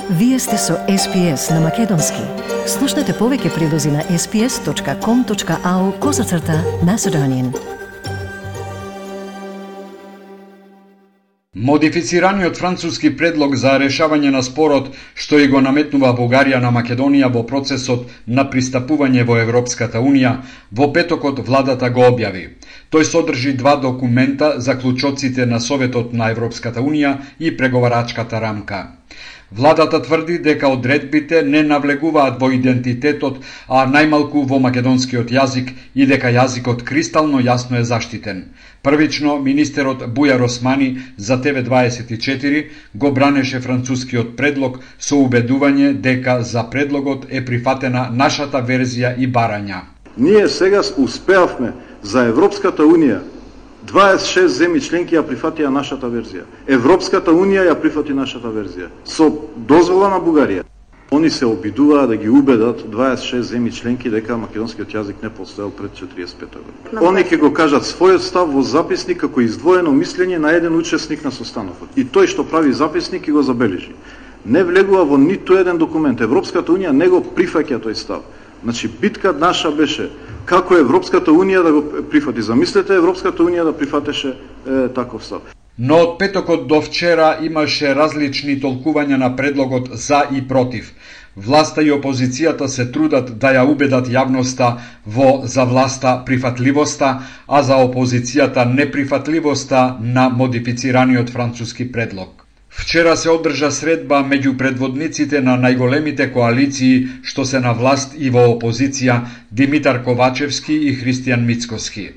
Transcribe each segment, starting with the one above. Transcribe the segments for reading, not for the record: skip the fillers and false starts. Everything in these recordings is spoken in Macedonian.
Вие сте со SPS на Македонски. Слушнете повеќе прилози на sps.com.au/Macedonian. Модифицираниот француски предлог за решавање на спорот што и го наметнува Бугарија на Македонија во процесот на пристапување во Европската Унија, во петокот владата го објави. Тој содржи два документа за клучоците на Советот на Европската Унија и преговарачката рамка. Владата тврди дека одредбите не навлегуваат во идентитетот, а најмалку во македонскиот јазик и дека јазикот кристално јасно е заштитен. Првично, министерот Бујар Османи за TV24 го бранеше францускиот предлог со убедување дека за предлогот е прифатена нашата верзија и барања. Ние сега успеавме за Европската Унија 26 земји членки ја прифатија нашата верзија. Европската Унија ја прифати нашата верзија. Со дозвола на Бугарија. Они се обидуваат да ги убедат 26 земји членки дека македонскиот јазик не постоел пред 45 година. Они ќе го кажат својот став во записник како издвоено мислење на еден учесник на состанокот. И тој што прави записник и го забележи. Не влегува во ниту еден документ. Европската Унија не го прифаќа тој став. Значи, битка наша беше како Европската Унија да го прифати. Замислете Европската Унија да прифатеше таков став. Но од петокот до вчера имаше различни толкувања на предлогот за и против. Власта и опозицијата се трудат да ја убедат јавноста во за власта прифатливоста, а за опозицијата неприфатливоста на модифицираниот француски предлог. Вчера се одржа средба меѓу предводниците на најголемите коалиции што се на власт и во опозиција, Димитар Ковачевски и Христијан Мицкоски.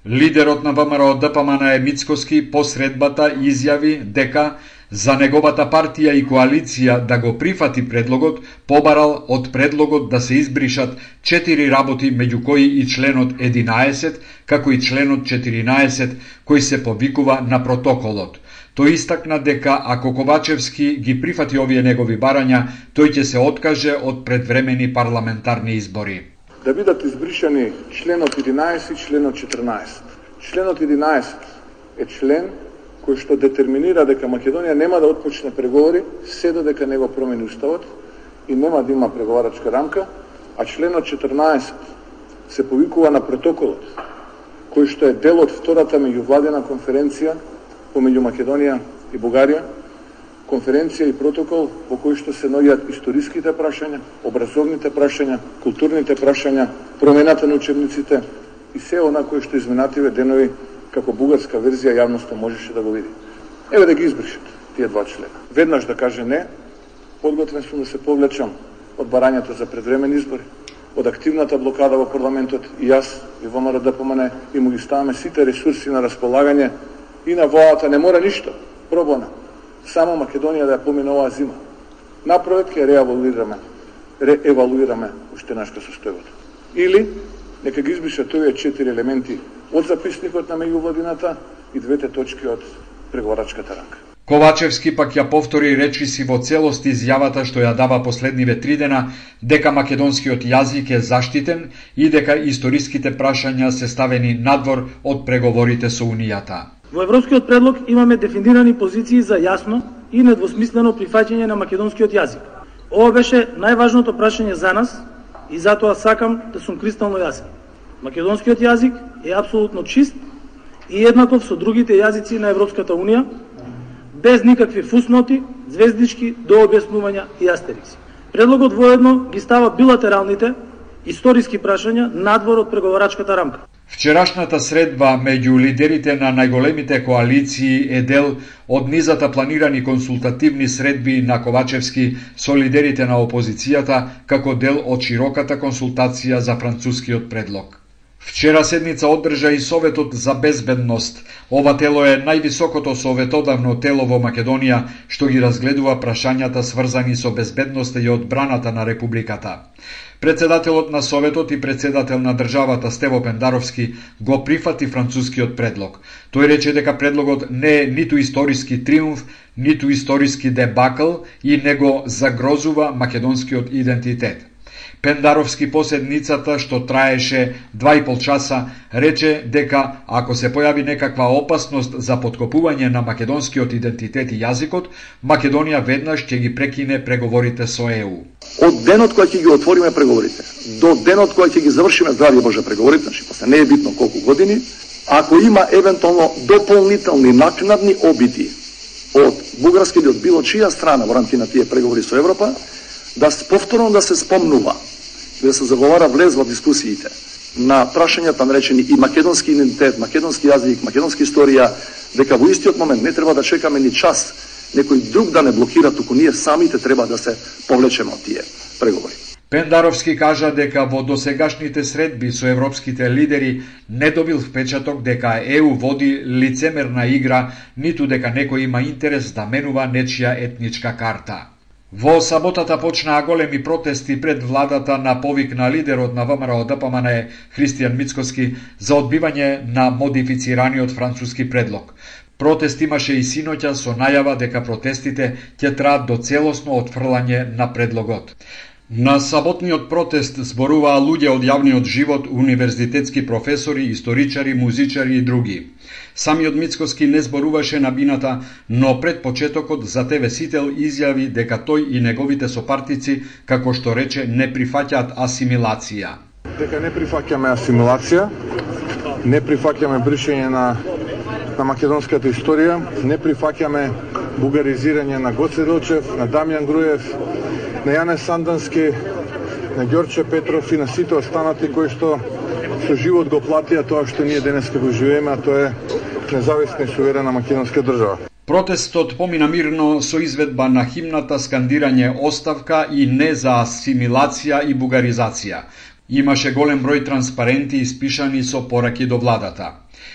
Лидерот на ВМРО ДПМН Мицкоски по средбата изјави дека за неговата партија и коалиција да го прифати предлогот, побарал од предлогот да се избришат 4 работи, меѓу кои и членот 11, како и членот 14, кој се повикува на протоколот. Тој истакна дека ако Ковачевски ги прифати овие негови барања, тој ќе се откаже од предвремени парламентарни избори. Да бидат избришани членот 11 и членот 14. Членот 11 е член кој што детерминира дека Македонија нема да отпочне преговори се додека не го промени уставот и нема да има преговарачка рамка, а членот 14 се повикува на протоколот, кој што е дел од втората меѓувладина конференција помеѓу Македонија и Бугарија, конференција и протокол во кој што се наоѓаат историските прашања, образовните прашања, културните прашања, промената на учебниците и се она кој што изминативе денови како бугарска верзија јавноста можеше да го види. Еве да ги избришат тие два члена. Веднаш да каже не, подготвен сум да се повлечам од барањата за предвремени избори, од активната блокада во парламентот и јас и ВМРО ДПМН и му ги ставаме сите ресурси на располагање и на владата не мора ништо, пробона. Само Македонија да ја помине оваа зима. Напротив ќе реевалуираме уштенашка состојбата. Или нека ги избришат овие 4 елементи од записникот на меѓувладината и двете точки од преговарачката рамка. Ковачевски пак ја повтори речиси во целост изјавата што ја дава последниве 3 дена дека македонскиот јазик е заштитен и дека историските прашања се ставени надвор од преговорите со Унијата. Во европскиот предлог имаме дефинирани позиции за јасно и недвосмислено прифаќање на македонскиот јазик. Ова беше најважното прашање за нас и затоа сакам да сум кристално јасен. Македонскиот јазик е апсолутно чист и еднаков со другите јазици на Европската Унија, без никакви фусноти, звездички, дообјаснувања и астерикси. Предлогот воедно ги става билатералните историски прашања надвор од преговарачката рамка. Вчерашната средба меѓу лидерите на најголемите коалиции е дел од низата планирани консултативни средби на Ковачевски со лидерите на опозицијата како дел од широката консултација за францускиот предлог. Вчера седница одржа и Советот за безбедност. Ова тело е највисокото советодавно тело во Македонија што ги разгледува прашањата сврзани со безбедноста и одбраната на Републиката. Председателот на Советот и председател на државата Стево Пендаровски го прифати францускиот предлог. Тој рече дека предлогот не е ниту историски триумф, ниту историски дебакл и не го загрозува македонскиот идентитет. Пендаровски по седницата, што траеше 2,5 часа, рече дека ако се појави некаква опасност за поткопување на македонскиот идентитет и јазикот, Македонија веднаш ќе ги прекине преговорите со ЕУ. Од денот кој ќе ги отвориме преговорите, до денот кој ќе ги завршиме, здрави Боже, преговорите, значи после не е битно колку години, ако има евентуално дополнителни накнадни обиди од бугарска или од било чија страна во рамките на тие преговори со Европа, да повторно да се спомнува, да се заговара влез во дискусиите на прашањата наречени и македонски идентитет, македонски јазик, македонски историја, дека во истиот момент не треба да чекаме ни час некој друг да не блокира, туку ние самите треба да се повлечеме од тие преговори. Пендаровски кажа дека во досегашните средби со европските лидери не добил впечаток дека ЕУ води лицемерна игра, ниту дека некој има интерес да менува нечија етничка карта. Во саботата почнаа големи протести пред владата на повик на лидерот на ВМРО ДПМН Христијан Мицкоски за одбивање на модифицираниот француски предлог. Протест имаше и синоќа со најава дека протестите ќе траат до целосно отфрлање на предлогот. На саботниот протест зборуваа луѓе од јавниот живот, универзитетски професори, историчари, музичари и други. Самиот Мицкоски не зборуваше на бината, но пред почетокот за ТВ Сител изјави дека тој и неговите сопартици, како што рече, не прифаќаат асимилација. Дека не прифаќаме асимилација, не прифаќаме бришење на македонската историја, не прифаќаме бугаризирање на Гоце Делчев, на Дамјан Груев, на Јане Сандански, на Ѓорче Петров и на сите останати кои што со живот го платија тоа што ние денеска го живееме, а тоа е независна и суверена македонска држава. Протестот помина мирно со изведба на химната, скандирање оставка и не за асимилација и бугаризација. Имаше голем број транспаренти испишани со пораки до владата.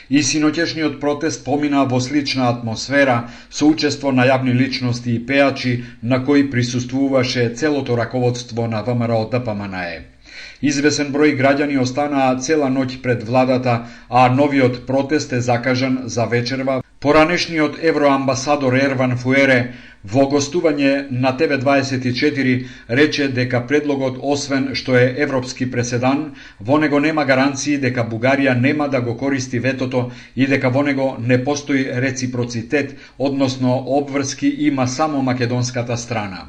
И синоќешниот протест помина во слична атмосфера со учество на јавни личности и пеачи на кои присуствуваше целото раководство на ВМРО ДПМН. Извесен број граѓани останаа цела ноќ пред владата, а новиот протест е закажан за вечерва. Поранешниот евроамбасадор Ерван Фуере во гостување на ТВ24 рече дека предлогот, освен што е европски преседан, во него нема гаранции дека Бугарија нема да го користи ветото и дека во него не постои реципроцитет, односно обврски има само македонската страна.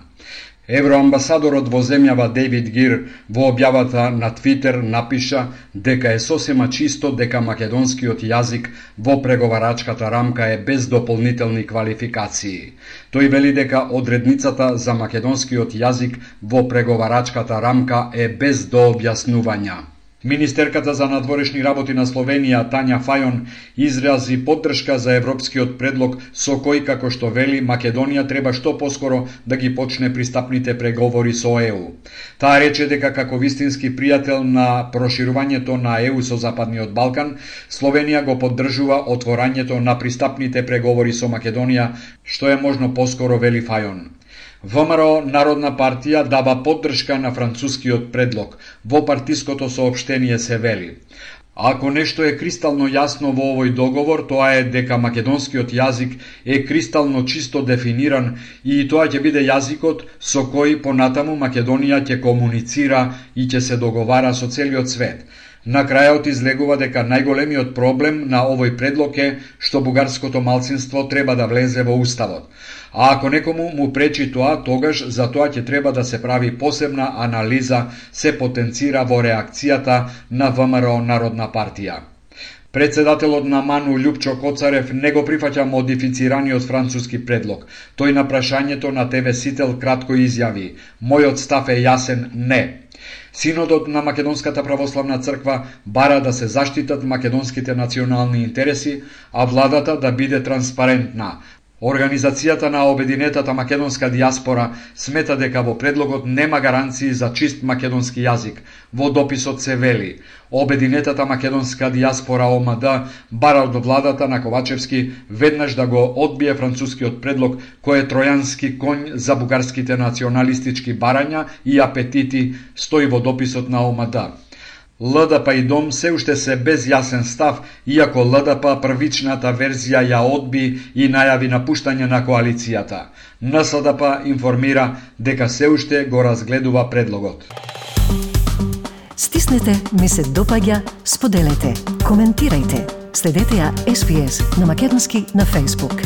Евроамбасадорот во земјава Дейвид Гир во објавата на Твитер напиша дека е сосема чисто дека македонскиот јазик во преговарачката рамка е без дополнителни квалификации. Тој вели дека одредницата за македонскиот јазик во преговарачката рамка е без дообјаснувања. Министерката за надворешни работи на Словенија, Тања Фајон, изрази поддршка за европскиот предлог со кој, како што вели, Македонија треба што поскоро да ги почне пристапните преговори со ЕУ. Таа рече дека како вистински пријател на проширувањето на ЕУ со Западниот Балкан, Словенија го поддржува отворањето на пристапните преговори со Македонија, што е можно поскоро, вели Фајон. ВМРО Народна партија дава поддршка на францускиот предлог. Во партиското соопштение се вели: ако нешто е кристално јасно во овој договор, тоа е дека македонскиот јазик е кристално чисто дефиниран и тоа ќе биде јазикот со кој понатаму Македонија ќе комуницира и ќе се договара со целиот свет. На крајот излегува дека најголемиот проблем на овој предлог е што бугарското малцинство треба да влезе во уставот. А ако некому му пречи тоа, тогаш за тоа ќе треба да се прави посебна анализа, се потенцира во реакцијата на ВМРО Народна партија. Председателот на МАНУ Љупчо Коцарев не го прифаќа модифицираниот француски предлог. Тој на прашањето на ТВ Сител кратко изјави: мојот став е јасен, не. Синодот на Македонската православна црква бара да се заштитат македонските национални интереси, а владата да биде транспарентна. Организацијата на Обединетата македонска дијаспора смета дека во предлогот нема гаранции за чист македонски јазик. Во дописот се вели: Обединетата македонска дијаспора ОМД бара од владата на Ковачевски веднаш да го одбие францускиот предлог, кој е тројански конј за бугарските националистички барања и апетити, стои во дописот на ОМД. ЛДП и ДОМ се уште се без јасен став, иако ЛДП првичната верзија ја одби и најави напуштање на коалицијата. НСДП информира дека се уште го разгледува предлогот. Стиснете ми се допаѓа, споделете, коментирајте. Следете ја SPS на македонски на Facebook.